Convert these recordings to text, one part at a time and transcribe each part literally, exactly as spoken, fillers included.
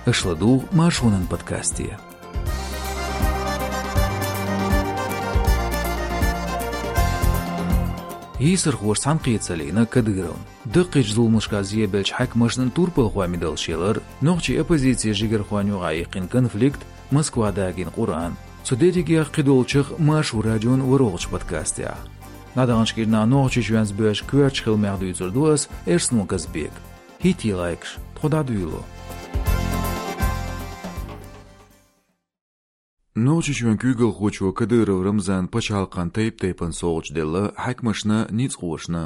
Аша ладугӀу Маршонан подкасте. Йийсархоша цхьаьнакхетар лийна Кадыровна. Даккхийчу зуламашкахь зӀе беллачу хьаькамашна турпалхойн медалш ялар, нохчийн оппозицин жигархойн юкъахь яьккхина конфликт, Москва дагийна Къуръан. Цу дерригех кхидолчух Маршо радион ворхӀалгӀачу подкастехь. ДӀадаханчу кӀирнахь Нохчийчоьнца боьзна коьртачу хиламех дуьйцур ду ас, Эрсанов Казбек. ХӀиттийла лайкаш, тхо дӀадуьйло. Нохчийчоьнан куьйгалхочо Кадыров Рамзана пачхьалкхан тайп-тайпана совгӀаташ делла хьаькамашна, ницкъашна.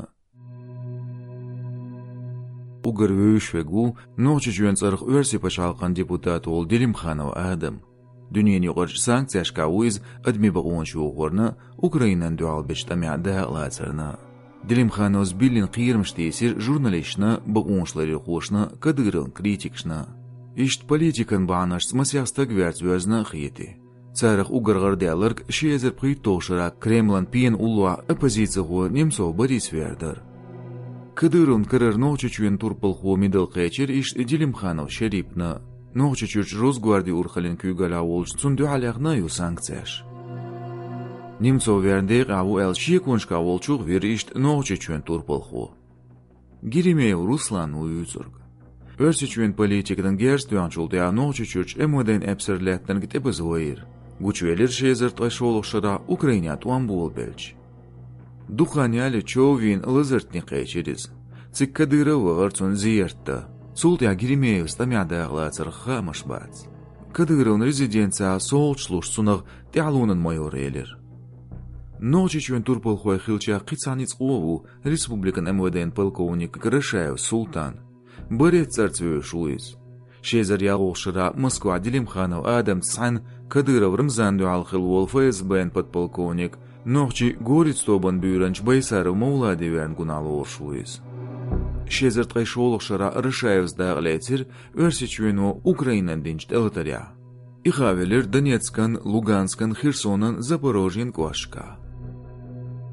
Уггар вевзаш верг ву Нохчийчоьнан цӀарах Оьрсийн пачхьалкхан депутат волу Делимханов Адам. Дуьненаюкъарчу санкцешкахь ву иза адамийн бакъонаш йохорна, Украинана дуьхьал бечу тӀамехь дакъалацарна. Делимхановс биллина кхерамаш тийсира журналисташна, бакъонашларъярхошна, Кадыровн критикашна. Иштта политикан бахьанашца масех стаг верца воьзна а хетий. Царах уггар гӀардаьлларг ши эзар пхийтталгӀачу шарахь Кремлан пенан уллохь оппозицихо Немцов Борис вер дара. Кадыровн карара Нохчийчоьнан турпалхо медал кхечира иштта Делимханов Шерипна. Нохчийчуьрчу Росгвардин урхаллин куьйгаллехь волчу цунна дуьхьал яьхна а ю санкцеш. Немцов верна декъехь ву аьлла шеконашкахь волчух вира иштта Нохчийчоьнан турпалхо. Геремеев Руслан ву вуьйцург. Оьрсийчоьнан политикана герз тоьхначул тӀаьхьа Нохчийчуьрчу МВД-н эпсар лаьттинарг тӀепаза вайра. Гучувелира ши эзар ткъе шолгӀачу шарахь Украинехь тӀом болабелча. Дукха хан ялале чов вийна лазартник кхечира иза. Цига Кадыров вахара цунна зерат дан. Цул тӀаьхьа Геремеевс тӀамехь дакъалацарх хаамаш бац. Кадыровн резиденцехь совгӀаташ луш цунах тӀаьхьалонан майор элира. Нохчийчоьнан турпалхой хиллачех кхин цхьа ницкъо а ву республикан МВД-н полковник Грошаев Султан. Борец цӀарца вевзаш ву иза. Ши эзар ялхолгӀачу шарахь Москвахь Делимханов Адамца цхьаьна Кадыров Рамзанна дуьхьал хилла волу ФСБ-н подполковник, нохчийн «Горец» тобанан буьйранча Байсаров Мовлади верна гунахь лоруш ву иза. Ши эзар ткъе шолгӀачу шарахь Грошаевс дакъалецира Оьрсийчоьно Украинана динчу тӀелатарехь. И хаа велира Донецкан, Луганскан, Херсонан, Запорожьен кӀошташкахь.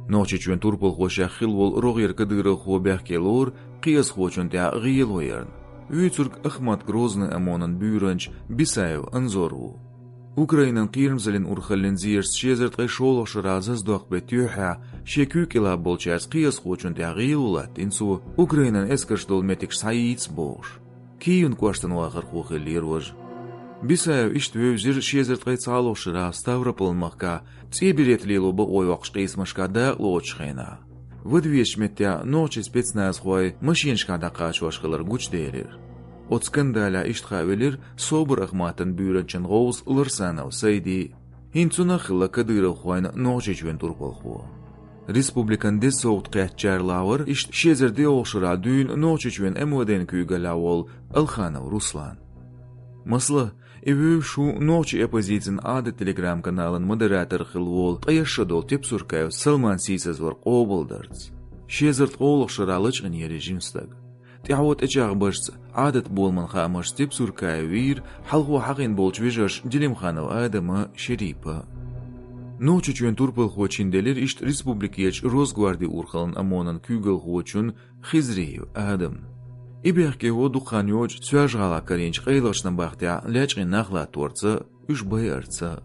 Нохчийчоьнан турпалхошех хилла волу рогӀера кадыровхо бехке лору кхиазхочунна тӀехь гӀело ярна. Вуьйцург Ахмат Грозный ОМОН-ан буьйранча Бисаев Анзор ву. Украинан кхерамзаллин урхаллин зерашца ши эзар ткъе шолгӀачу шарахь заздоккху беттан юьххьехь шен куьйга кӀелахь болчаьрца кхиазхочунна тӀехь гӀело латтийна цо, Украинан эскарш долу меттигаш схьайийца бохуш. Киевн кӀоштан вахархо хиллера важа. Бисаев иштта вевзира ши эзар ткъе цхьалгӀачу шарахь Ставрополь-махкахь цӀен берет лело бакъо йоккхуш къийсамашкахь дакъалоцучу хенахь. Вада везачу меттехь нохчийн спецназхой машинашкахь дӀакхачош хилар гучуделира. Оцу скандалехь иштта хаа велира СОБР Ахматан буьйранчин гӀовс Ларсанов Сайди. ХӀинца цунах хилла кадыровхойн Нохчийчоьнан турпалхо. Республикан деза совгӀат кхеттачарах вара иштта ши эзар диъолгӀачу шарахь дуьйна Нохчийчоьнан МВД-н куьйгаллехь волу Алханов Руслан. Масала, и вевзаш ву нохчийн оппозицин Ӏадат Telegram-каналан модератор хилла волу ткъе шо долу Тепсуркаев Салман сийсазвар къобалдарца. Ши эзар ткъолгӀачу шарахь лачкъийнера и жима стаг. ТӀаьхьо тӀечӀагӀбаршца, Ӏадат боламан хаамашца Тепсуркаев вийра хьалхо хьахийна болчу вежарша Делимханов Адама, Шерипа. Нохчийчоьнан турпалхо чинделира иштта республикерчу Росгвардин урхаллин ОМОН-ан куьйгалхочун Хизриев Адамна. И бехке ву дукха хан йоццуш Соьлжа-ГӀалахь карийначу къайлахчу набахтехь лечкъийна нах латторца, уьш байарца.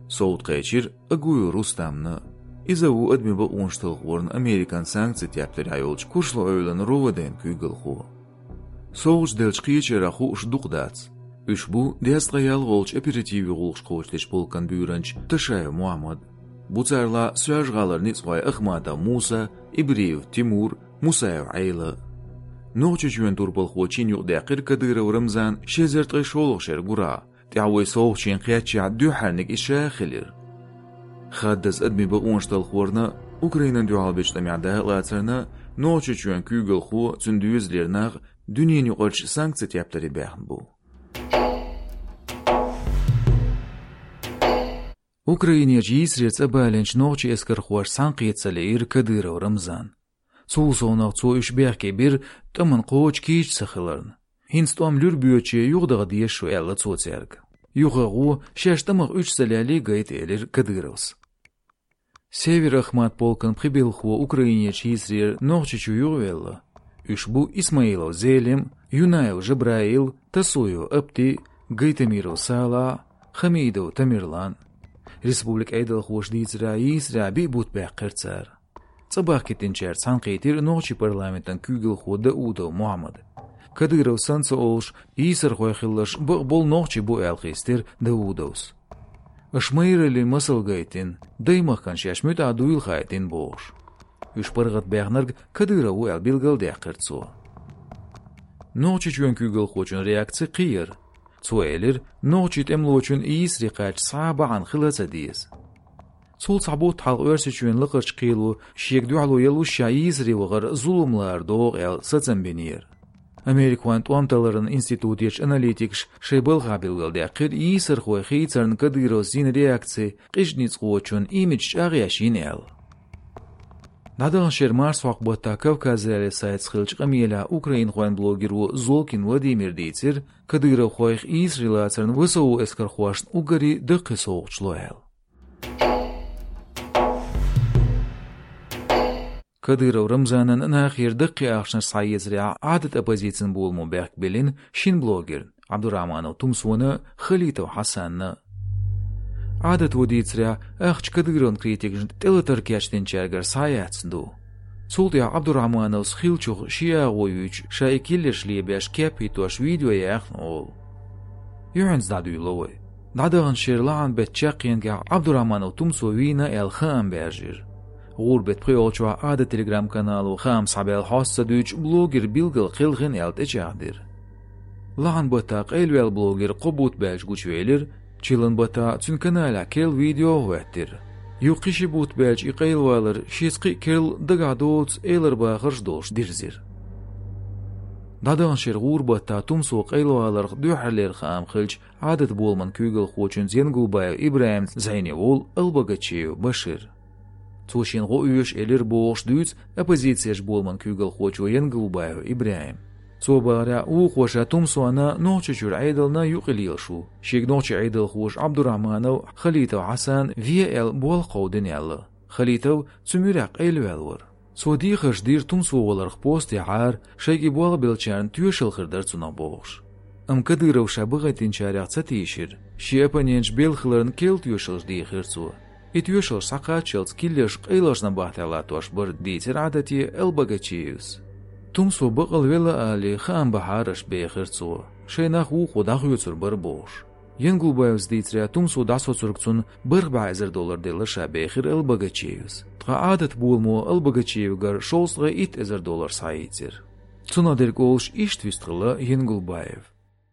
СовгӀат кхечира Агуев Рустамна. Иза ву адамийн бакъонаш талхорна Американ санкцийн тептарехь йолчу Куршлу-Эвлан РОВД-н куьйгалхо. СовгӀаташ деллачу кхечарах хууш дукха дац. Уьш бу дезткъе ялхолгӀачу оперативан гӀуллакхаш кхочушдечу полкан буьйранча Ташаев Мухьаммад. Бу царалахь Соьлжа-ГӀалара ницкъахой Ахматов Муса, Ибриев Тимур, Мусаев Ӏела. Нохчийчоьнан турпалхо чин юкъадаьккхира Кадыров Рамзана ши эзар ткъе шолгӀачу шеран гурахь, тӀаьхьо и совгӀат шена кхеттачохь дуьххьарниг иза ша а хилира. Хаддаза адамийн бакъонаш талхорна, Украинана дуьхьал бечу тӀамехь дакъалацарна Нохчийчоьнан куьйгалхо, цуьнан доьзалера нах дуьненаюкъарчу санкцийн тептаре баьхна бу. Украинерчу йийсарера цӀа балийначу нохчийн эскархошца цхьаьнакхета ца лиира Кадыров Рамзан. Цул совнаха цо уьш бехке бира тӀамна кхочу кийча ца хиларна. ХӀинца тӀом луьра боьдуче юхадаха дезаш ду аьлла цо цаьрга. Юха а гӀо, шаьш тӀамах уьш ца лелий гайта, элира Кадыровс. Север-Ахмат полкан пхи белхахо Украинерчу йийсарера Нохчийчу юхавелла. Уьш бу Исмаилов Зелим, Юнаев Жабраил, Тасуев Апти, Гайтамиров Сала, Хамидов Тамерлан. Республикан Ӏедалхоша дийцарехь, йийсарехь биъ бутт баьккхира цара. Цӏа бахкийтинчаьрца цхьаьнакхийтира нохчийн парламентан куьйгалхо Даудов Мухьаммад. Кадыров санна ца олуш, йийсархой хиларш бакъболу нохчий бу аьлла хестира Даудовс. Аша майраллин масал гайтина, даймахкана шаьш муьтӀахь дуйла хаийтина бохуш. Уьш паргӀатбаьхнарг Кадыров ву аьлла билгалдаьккхира цо. Нохчийчоьнан куьйгалхочун реакци кхин яра. Цо элира, нохчийн тӀемалочун йийсаре кхаьчча схьа а бахьана хила ца деза. Цул цхьа бутт хьалха Оьрсийчоьнан лакхарчу кхело шега дуьхьало яллушехь йийсаре вахар зулам лара догӀу аьлла сацам бинера. Америкахойн тӀом талларан институтехь аналитикаша шайн балхахь билгалдаьккхира йийсархой хийцарна Кадыровс йина реакци къиза ницкъочун имидж чӀагӀъеш йина аьлла. ДӀадаханчу шеран марсхьокху баттахь Кавказ.Реалии сайтца хиллачу къамелехь украинхойн блогеро Золкин Владимира дийцира, кадыровхойх йийсаре лацарна ВСУ эскархошна уггаре даккхий совгӀаташ ло аьлла. Кадыров Рамзанан нахера даккхий ахчанаш схьаэцарехь Ӏадат оппозицин боламо бехк биллина шина блогерна, Ӏабдурахьманов Тумсона, Халитов Хьасанна. Ӏадато дийцарехь, ахча Кадыровн критикашна тӀелатар кечдинчаьргара схьаяьцна ду. Цул тӀаьхьа Ӏабдурахьмановс хиллачух ши агӀо юьйцуш, ша и киллерш лебеш кеп хӀиттош видео яьхна олу. Юьхьанца дӀадуьйло вай. ДӀадаханчу шеран лахьан беттан чаккхенгахь Ӏабдурахьманов Тумсо вийна аьлла хаам баьржира. ГӀура беттан пхоьалгӀачохь Ӏадат телеграм-канало хаам схьабаьлла хьоста ца дуьйцуш блогер билггал кхелхина аьлла тӀечӀагӀдира. Лахьан баттахь къайлаваьлла блогер кхо бутт баьлча гучувелира, чиллан баттахь цуьнан каналехь керла видео а хӀоьттира. Юха кхин ши бутт баьлча и къайлавалар шеца кхин а керла дагахь доцу элар бахарш долуш дирзира. ДӀадаханчу шеран гӀура баттахь Тумсо къайлаваларх дуьххьарлера хаам хиллачу Ӏадат боламан куьйгалхочуьнца Янгулбаев ИбрахӀимца зӀене волу Албогачиев Башир. Цо шена гӀо оьшу элира бохуш дуьйцу оппозицин боламан куьйгалхочо Янгулбаев ИбрахӀима. Цо бахарехь, вукхо ша Тумсона, Нохчийчуьра Ӏедална юкъа лелаш ву, шега нохчийн Ӏедалхоша Ӏабдурахьманов, Халитов Хьасан ве аьлла болх кховдийна аьлла. Халитов цу муьрехь къайлаваьлла вара. Цо дехарш дира Тумсо валарх постехьара, шайга и болх беллачарна тоьшалла хир дара цунах бохуш. Амма Кадыров ша бахийтинчарех ца тийшира, шен оппоненташ белла хиларна керла тоьшаллаш дийхира цо. И тоьшаллаш схьакхаччалц киллерш къайлахчу набахтехь латтош бара, дийцира Ӏадате Албогачиевс. Тумсо бакъал велла алий, хаам бахьара аша, бехира цо. Шайн нах вукхо дӀахоьцур бара бохуш. Янгулбаевс дийцарехь, Тумсо дӀасоцург цунна бархӀ бӀе эзар доллар делла ша, бехира Албогачиевс. Ткъа Ӏадат боламо Албогачиевгара шовзткъе итт эзар доллар схьаийцира. Цунах дерг олуш иштта вистхилла Янгулбаев.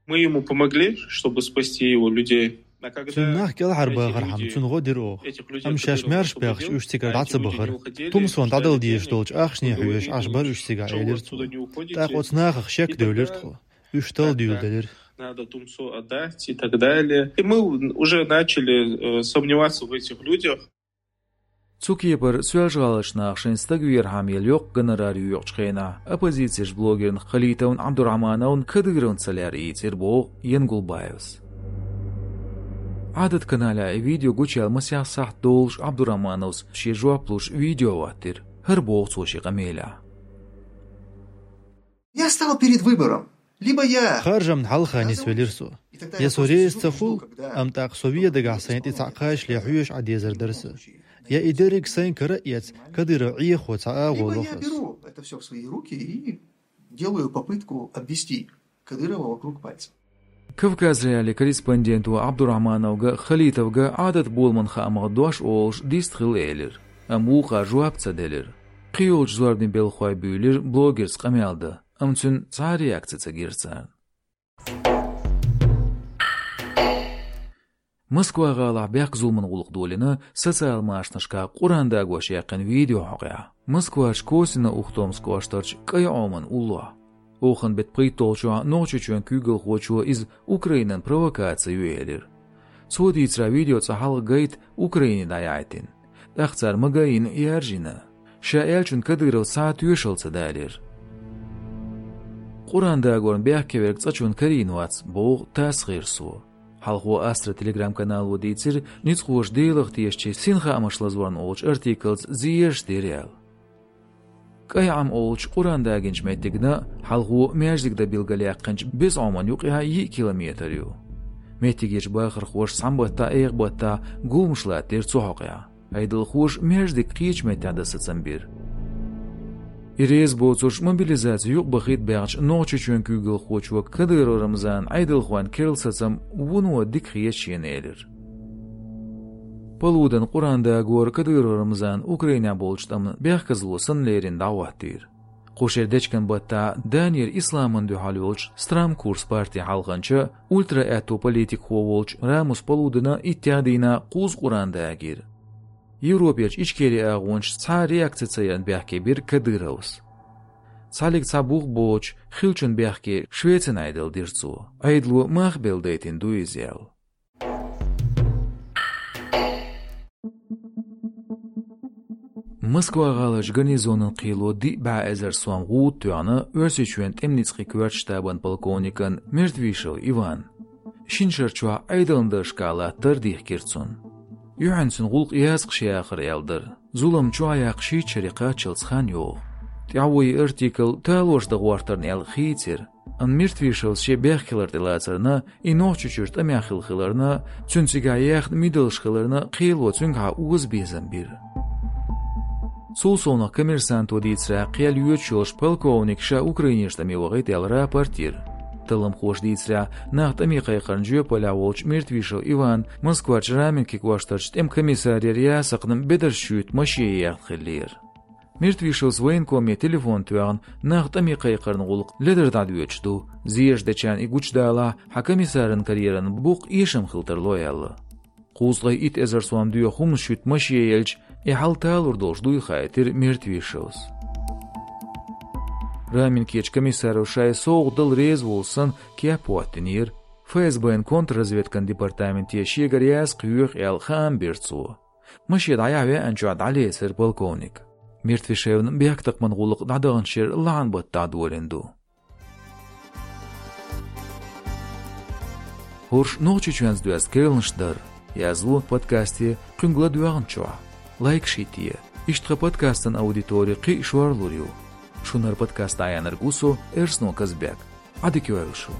Мы ему помогли, чтобы спасти его людей. А когда Цуьнан нах кӀелхьарбахархьама, цунна гӀо дира оха. Амма шаьш маьрша баьхча, уьш цигара дӀа ца бахара. Тумсона дӀадала дезаш долчу ахчане хьоьжуш Ӏаш бара уьш цигахь, элира цо. ТӀаккха оцу нахах шек девлира тхо. Уьш талла дуьйладелира. Надо Тумсо отдать и так далее. И мы уже начали, э, сомневаться в этих людях. Цу кепара Соьлжа-ГӀаларчу наха шайн стаг верхьама яла йоккха гонорар йоькъучу хенахь оппозицин блогерна Халитовна Ӏабдурахьмановна Кадыровна ца лаьрра ийцира боху Янгулбаевс. Ӏадат каналехь и видео гучуяьлла масех сахьт долуш Ӏабдурахьмановс шен жоп луш видео хӀоттийра. ХӀара боху цо шен къамелехь. Я стал перед выбором. Либо я Харжамна хьалха нисвелира со. Я со реза ца хуьлу, амма тӀаккха со вен дагахь сайна тӀе цхьаъ кхачале хьоьжуш Ӏан дезар дара сан. Я и дерриг сайна кара а эцна, Кадыров Ӏехо цхьа агӀо лоху аса. Я беру это всё в свои руки и делаю попытку обвести Кадырова вокруг пальца. Кавказ.Реалии корреспонденто Ӏабдурахьмановга, Халитовга Ӏадат боламан хаамах дош олуш дистхила элира, амма вукхара жоп ца делира. Кхин йолчу зорбанийн белхахой буьйлира блогерца къамел дан, амма цуьнан цхьа а реакци ца гира царна. Москва-гӀалахь бехк-зуламан гӀуллакх долийна социал-машанашкахь Къуръан дагош яьккхина видео хьокъехь. Москварчу Косино-Ухтомск кӀоштарчу КӀай Ӏоман уллохь. Оханан беттан пхийтталгӀачохь Нохчийчоьнан куьйгалхочо иза Украинан провокаци ю элира. Цо дийцарехь, видео цкъа хьалха гайта Украине дӀаяхьийтина. ТӀаккха цара магийна яьржина. Ша аьллачунна Кадыровс цхьа а тоьшалла ца далийра. Къуръан дагорна бехке верг цкъачунна карийна вац, боху ТАСС гӀирсо. Хьалхо Астра телеграм-канало дийцира, ницкъахоша Делах тешачийн синхаамаш лазорна олучу артиклца зераш дира аьлла. КӀай Ӏам олучу Къуръан дагийначу меттигна хьалхо маьждиг дан билгалъяьккхинчу Беза Ӏомана юкъахь йиъ километр ю. Меттигерчу бахархоша цхьана баттахь, эха баттахь гуламаш латтийра цу хьокъехь. Ӏедалхоша маьждиг кхечу меттехь дан сацам бира. И реза боцурш мобилизаци юкъабахийта баьхначу Нохчийчоьнан куьйгалхочо Кадыров Рамзана Ӏедалхойн керла сацам вуно дика хета шена элира. Палудан Къуръан дагор Кадыров Рамзана Украинехь болчу тӀамна бехказло санна лерина дӀахӀоттийра. Кху шеран дечкен баттахь Данера исламна дуьхьал йолчу Страм Курс партин хьалханча, ультра-аьтто политикхо волчу Рамус Палудана иттех дийнахь кхузза Къуръан дагийра. Европерчу Ичкери агӀончаша цхьа а реакци ца ярна бехке бира Кадыровс. Цхьаллиг цхьа бух боцуш, хиллачун бехке Швецин Ӏедал дира цо. Ӏедало мах белла дайтина ду иза аьлла. Москва-гӀаларчу гарнизонан кхело диъ бӀе эзар сом гӀуда тоьхна Оьрсийчоьнан тӀеман ницкъийн коьртачу штабан полковникна Мертвишев Иванна. Шина шарчохь Ӏедална даржашкахь латтар дихкира цунна. Юьхьанца гӀуллакх язкъаш яхар аьлла дара. Зулам чохь яккха шийтта шаре кхаччалц хан йогӀу. ТӀаьхьо и артикл талораш дан гӀортарна аьлла хийцира. Амма Мертвишевс шен бехк хилар тӀелацарна, и Нохчийчуьра тӀамехь хилла хиларна, цуьнан цигахь яьхна мидалш хиларна, кхело цуьнгахьа оза безам бира. Цул совнаха Коммерсанто дийцарехь, кхел йоьдуш йолуш полковник ша Украинерчу тӀаме вахийта аьлла рапорт йира. Талламхоша дийцарехь, нах тӀаме кхайкхарна жоьпаллехь волчу Мертвишев Иванна Москварчу Раменки кӀоштарчу тӀеман комиссарера ясакхна бедарш шуьйта машен ехна хиллера. Мертвишевс военкоме телефон тоьхна, нах тӀаме кхайкхарна гӀуллакх ледара дӀадоьдуш ду, зераш дечарна и гучудалахь, хьан комиссаран карьеран букъ эшам хила тарло аьлла. Кхузткъе итт эзар сом доьху хӀуманаш шуьйта машен елча, и хьал талур долуш дуй хаийтира Мертвишевс. Раменкерчу комиссаро шайн совгӀат дала реза волу санна кеп а хӀоттийнера, ФСБ-н контрразведкан департаменте шегара язкъ йоьху аьлла хаам бира цо. Машен дӀаяхьа веанчохь дӀалецира полковник. Мертвишевна бехктакхаман гӀуллакх дӀадаханчу шеран лахьан баттахь долийна ду. ХӀорш Нохчийчоьнца доьзна керланаш дара. Язло подкасте кхуьнга ладоьгӀначохь. Лайкаш хӀитте. Иштта тхан подкастан аудитори кхин а шорлур ю. Шуна хӀара подкаст дӀаяьхьнарг ву со, Эрсно Казбек. Ӏадика йойла шу.